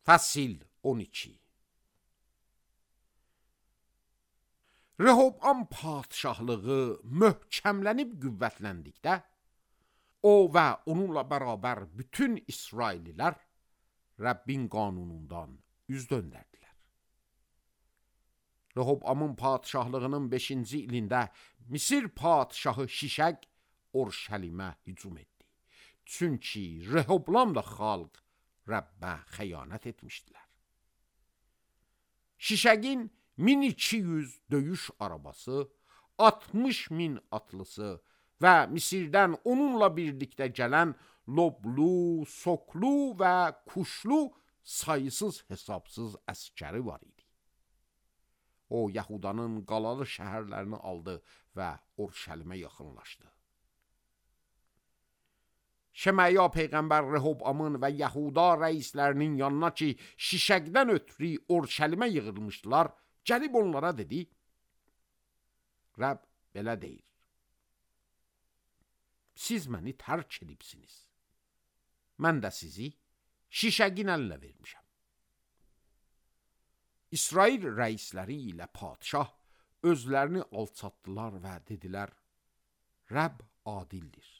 Fəsil 12. Rehoboam padşahlığı möhkəmlənib qüvvətləndikdə, o və onunla bərabər bütün İsraillilər Rəbbin qanunundan üz döndərdilər. Rehoboamın padşahlığının 5-ci ilində Misir padşahı Şişəq Orşəlimə hücum etdi. Çünki Rehoboamla xalq Rəbbə xəyanət etmişdilər. Şişəqin 1200 döyüş arabası, 60.000 atlısı və Misirdən onunla birlikdə gələn loblu, soklu və kuşlu sayısız hesabsız əskəri var idi. O, Yahudanın qalalı şəhərlərini aldı və Orşəlimə yaxınlaşdı. Şəmaya Peyğəmbər Rehoboamın və Yahuda rəislərinin yanına ki, Şişəqdən ötürü Orşəlimə yığılmışdılar, gəlib onlara dedi, Rəbb belə deyir, siz məni tərk edibsiniz, mən də sizi Şişəqin əlinə vermişəm. İsrail rəisləri ilə padşah özlərini alçatdılar və dedilər, Rəbb adildir.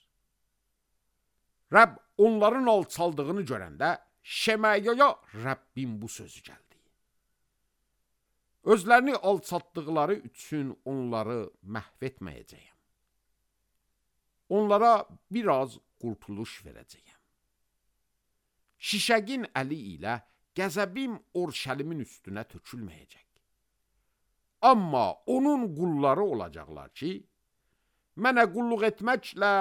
Rəbb onların alçaldığını görəndə Şəmayaya Rəbbin bu sözü gəldi. Özlərini alçatdıqları üçün onları məhv etməyəcəyəm. Onlara biraz qurtuluş verəcəyəm. Şişəqin əli ilə qəzəbim Orşəlimin üstünə tökülməyəcək. Amma onun qulları olacaqlar ki, mənə qulluq etməklə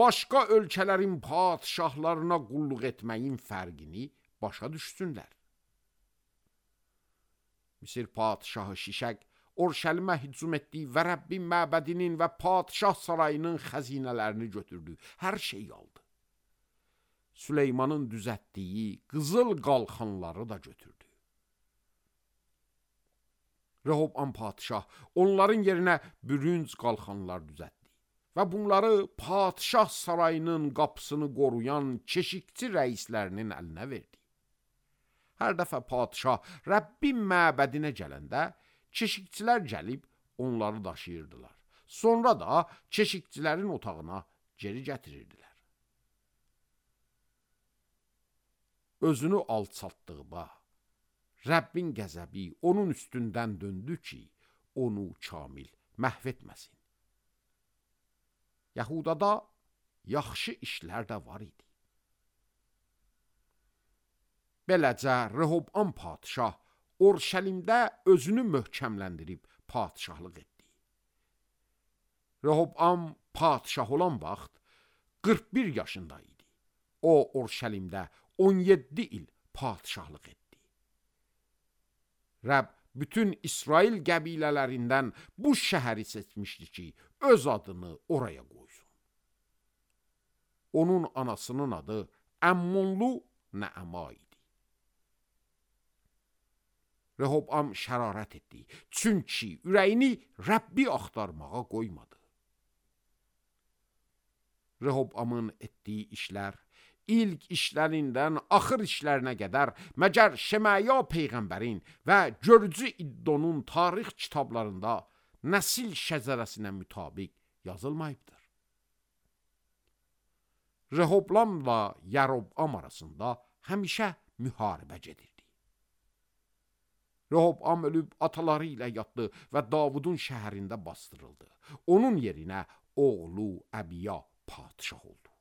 başqa ölkələrin padşahlarına qulluq etməyin fərqini başa düşsünlər. Misir padşahı Şişəq Orşəlimə hücum etdi və Rəbbin məbədinin və padşah sarayının xəzinələrini götürdü, hər şeyi aldı. Süleymanın düzətdiyi qızıl qalxanları da götürdü. Rehoboam padşah onların yerinə bürünc qalxanlar düzətdi və bunları padşah sarayının qapısını qoruyan keşikçi rəislərinin əlinə verdi. Hər dəfə padşah Rəbbin məbədinə gələndə keşikçilər gəlib onları daşıyırdılar. Sonra da keşikçilərin otağına geri gətirirdilər. Özünü alçaltdıqda Rəbbin qəzəbi onun üstündən döndü ki, onu kamil məhv etməsin. Yahudada yaxşı işlər də var idi. Beləcə Rehoboam padşah Orşəlimdə özünü möhkəmləndirib padşahlıq etdi. Rehoboam padşah olan vaxt 41 yaşında idi. O, Orşəlimdə 17 il padşahlıq etdi. Rəbb bütün İsrail qəbilələrindən bu şəhəri seçmişdi ki, öz adını oraya qoysun. Onun anasının adı Əmmonlu Nəəma idi. Rehoboam şərarət etdi, çünki ürəyini Rəbbi axtarmağa qoymadı. Rehoboamın etdiyi işlər, ilk işlərindən axır işlərinə qədər məgər Şəmaya Peyğəmbərin və görücü İddonun tarix kitablarında nəsil şəcərəsinə mütabiq yazılmayıbdır. Rehoboamla Yaroboam arasında həmişə müharibə gedirdi. Rehoboam ölüb ataları ilə yatdı və Davudun şəhərində bastırıldı. Onun yerinə oğlu Əbiya padşah oldu.